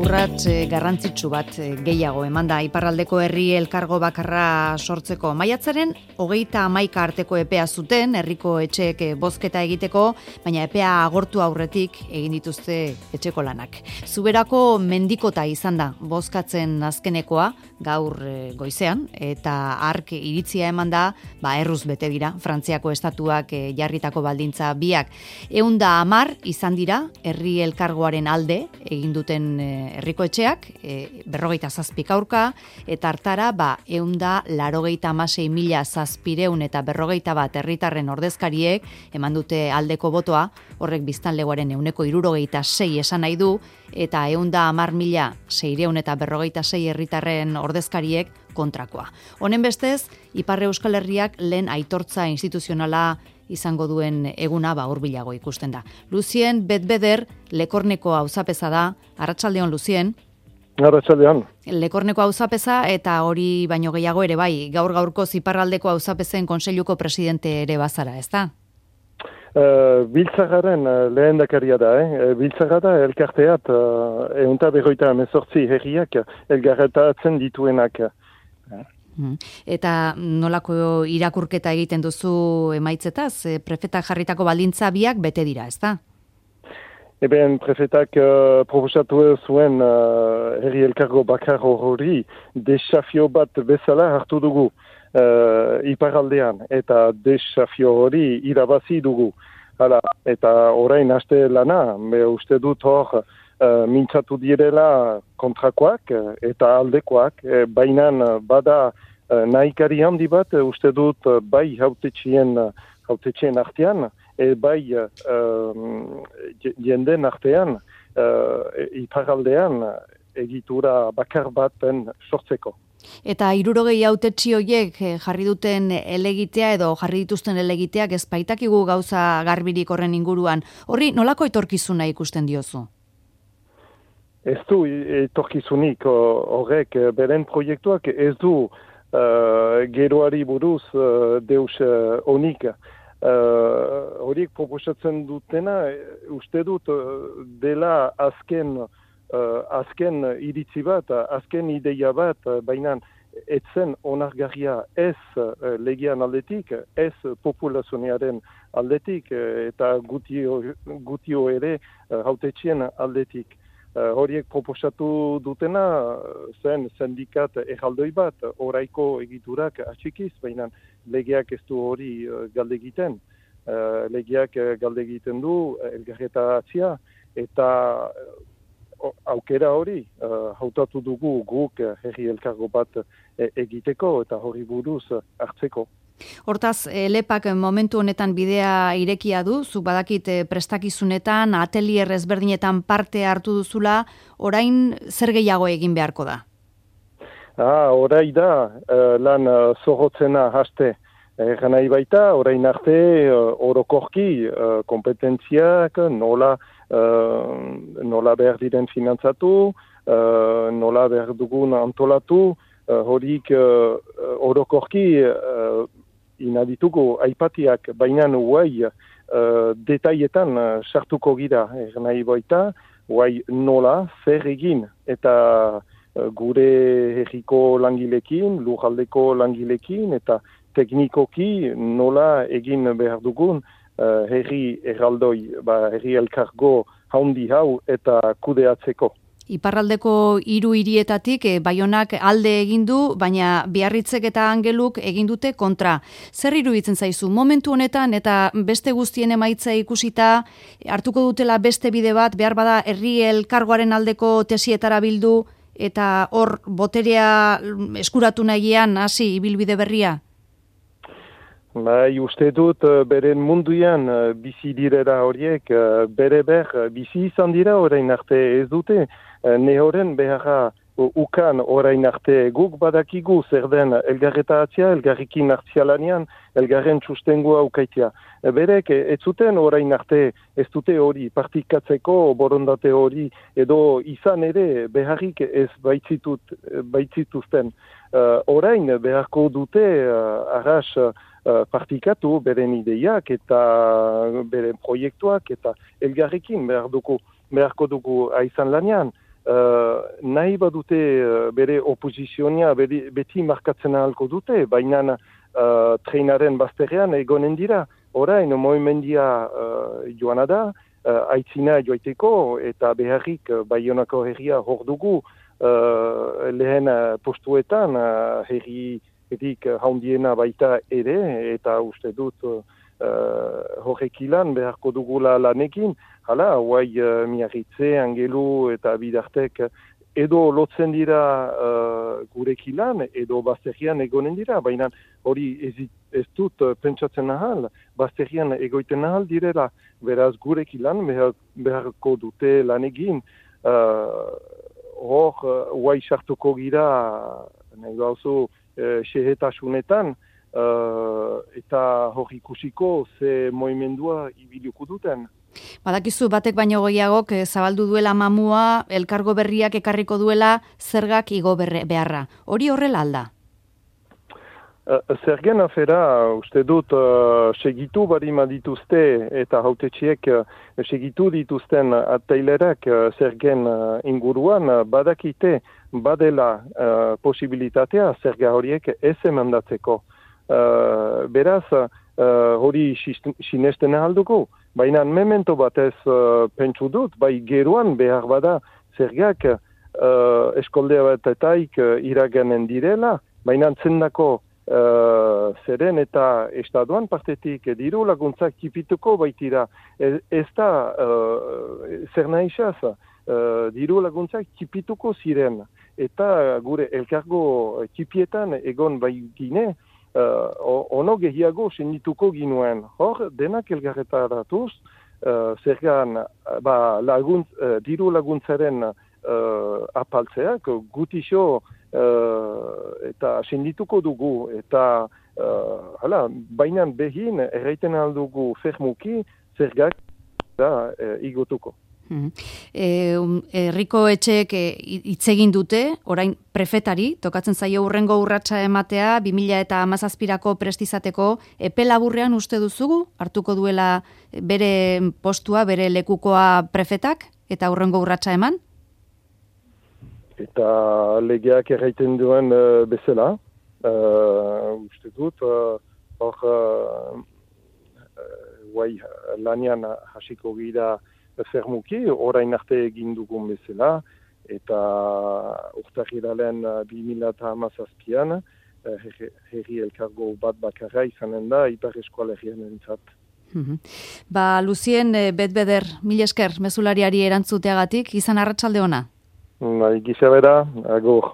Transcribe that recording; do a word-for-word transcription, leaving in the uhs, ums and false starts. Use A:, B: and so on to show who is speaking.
A: urrats garrantzitsu bat gehiago eman da iparraldeko herri elkargo bakarra sortzeko. Maiatzaren hogeita hamaika arteko epea zuten herriko etxeek bozketa egiteko, baina epea agortu aurretik egin dituzte etxeko lanak. Zuberako mendikota izan da bozkatzen azkenekoa gaur goizean, eta ark iritzia eman da, ba erruz bete dira Frantziako estatuak jarritako baldintza biak. Ehunda hamar izan dira herri elkargoaren alde egin duten herriko etxeak, e, berrogeita zazpik aurka, eta hartara, ba, eunda larogeita amasei mila zazpireun eta berrogeita bat herritarren ordezkariek eman dute aldeko botoa, horrek biztanlegoaren euneko hirurogeita sei esan nahi du, eta eunda hamar mila seireun eta berrogeita sei herritarren ordezkariek kontrakoa. Honen bestez, Ipar Euskal Herriak lehen aitortza instituzionala izango duen eguna ba hurbilago ikusten da. Lucien Betbeder Lekorneko auzapeza da. Arratsaldeon Lucien.
B: Arratsaldeon.
A: Lekorneko auzapeza eta hori baino gehiago ere bai, gaur gaurko iparraldeko auzapezen kontseiluko presidente ere bazara, ezta?
B: Uh, Biltzarraren uh, lehendakaria da, eh? Biltzarra da elkarteat uh, eunta berroita hemezortzi herriak elgarretatzen dituenak.
A: Eta nolako irakurketa egiten duzu emaitzetaz? Prefetak jarritako baldintza biak bete dira, ezta?
B: Eben, prefetak uh, proposatu zuen uh, herri elkargo bakar hori desafio bat bezala hartu dugu uh, iparaldean, eta desafio hori irabazi dugu. Hala, eta orain haste lana, me uste dut hor uh, mintzatu direla kontrakoak eta aldekoak, eh, bainan bada uh, nahikari handi bat, uh, uste dut uh, bai hautetxien, uh, hautetxien artean, e bai uh, jenden artean, uh, iparaldean egitura bakar baten sortzeko.
A: Eta hirurogei hautetsi horiek jarri duten elegitea edo jarri dituzten elegiteak ez baitakigu gauza garbirik horren inguruan. Horri nolako etorkizuna ikusten diozu?
B: Ez du etorkizunik horrek, beren proiektuak ez du uh, geroari buruz uh, deus honik. Uh, horiek proposatzen dutena, uste dut uh, dela azken uh, azken iritzi bat, azken ideia bat, uh, baina etzen onargarria ez uh, legian aldetik, ez populazioaren aldetik, uh, eta gutio, gutio ere uh, hautetxien aldetik. Uh, horiek proposatu dutena zen sindikat erraldoi bat, oraiko egiturak atxikiz, baina legeak ez du hori uh, galde egiten. Uh, legeak uh, galde egiten du uh, elgarretatzea, eta uh, aukera hori uh, hautatu dugu guk uh, herri elkargo bat uh, egiteko eta hori buruz uh, hartzeko.
A: Hortaz, lepak momentu honetan bidea irekia du, zuk badakit prestakizunetan, atelier ezberdinetan parte hartu duzula, orain zer gehiago egin beharko da?
B: Ah, orai da, uh, lan uh, zorrotzena haste. Egan nahi baita, orain arte uh, orokorki uh, kompetentziak, nola, uh, nola behar diren finantzatu, uh, nola behar dugun antolatu, uh, horik uh, orokorki uh, inadituko aipatiak, baina guai uh, detaietan uh, sartuko gira, egan nahi baita, guai nola, zer egin, eta uh, gure herriko langilekin, lurraldeko langilekin, eta teknikoki nola egin behar dugun uh, herri erraldoi, ba, herri elkargo haundi hau eta kudeatzeko.
A: Iparraldeko hiru hirietatik eh, Baionak alde egin du, baina Biarritzek eta Angeluk egin dute kontra. Zer iruditzen zaizu momentu honetan eta beste guztien emaitza ikusita hartuko dutela beste bide bat, behar bada herri elkargoaren aldeko tesietara bildu eta hor boterea eskuratu nahian hasi ibilbide berria?
B: Bai, uste dut beren munduan bizi direra horiek bere ber bizi izan dira orain arte ez dute nehoren beharra ukan orain arte guk badakigu zer den elgarretatzea, elgarrikin hartzialanean, elgarren sustengua ukaitea. Berek ez zuten orain arte ez dute hori partikatzeko borondate hori edo izan ere beharrik ez baitzitut, baitzituzten. Uh, orain beharko dute uh, arras uh, partikatu beren ideiak eta beren proiektuak eta elgarrekin behar dugu, beharko dugu aizan lanean. uh, nahi badute uh, bere oposizionia beri, beti markatzen ahalko dute, baina uh, treinaren bazterrean egonen dira. Orain, moimendia uh, joana da, uh, aitzina joaiteko eta beharrik uh, Baionako herria hor dugu uh, lehen uh, postuetan uh, herri edik haundiena baita ere, eta uste dut uh, horrek ilan beharko dugula lanekin. Hala, guai uh, miarritze, angelu eta bidartek edo lotzen dira uh, gurek ilan, edo bazterian egonen dira, baina hori ez, ez dut uh, pentsatzen ahal, bazterian egoiten ahal direla, beraz gurek ilan behar, beharko dute lanegin. Uh, hor, guai uh, sartuko gira, nahi gauzu, Uh, sehetasunetan uh, eta hor ikusiko ze moimendua ibiluko duten.
A: Badakizu batek baino gehiagok zabaldu duela mamua, elkargo berriak ekarriko duela zergak igo berre, beharra. Hori horrela alda?
B: Uh, zergen afera, uste dut, uh, segitu barima dituzte eta hautetxiek uh, segitu dituzten atailerak uh, zergen uh, inguruan uh, badakite badela uh, posibilitatea zerga horiek ez emandatzeko. Uh, beraz, uh, hori sinesten ahalduko, baina memento batez uh, pentsu dut, bai geruan behar bada zergak uh, eskoldea batetaik uh, iraganen direla, baina zendako Uh, zeren eta estaduan partetik diru laguntzak tipituko baitira. Ez, ez da uh, zer nahisaz, uh, diru laguntzak tipituko ziren. Eta gure elkargo tipietan egon bai gine, uh, ono gehiago sendituko ginuen. Hor, denak elgarretaratuz, uh, zergan ba, laguntz, uh, diru laguntzaren uh, apaltzeak gutixo Uh, eta sendituko dugu, eta uh, hala, bainan behin erraiten aldugu fermuki zergak da uh, igotuko.
A: Hmm. E, um, herriko etxeek hitz egin dute, orain prefetari, tokatzen zaio hurrengo urratsa ematea, bi mila hamazazpirako prestizateko, epe laburrean uste duzugu, hartuko duela bere postua, bere lekukoa prefetak, eta hurrengo urratsa eman?
B: Eta legeak erraiten duen uh, bezala, uh, uste dut, hor uh, uh, guai lanian hasiko gira fermuki, orain arte egin dugun bezala, eta urtarrilaren uh, bi mila hamazazpian uh, herri elkargo bat bakarra izanen da, Ipar Eskualerian entzat.
A: Mm-hmm. Ba, Lucien, betbeder, mil esker, mezulariari erantzuteagatik, izan arratsalde ona.
B: Bai, gisa bera, agur.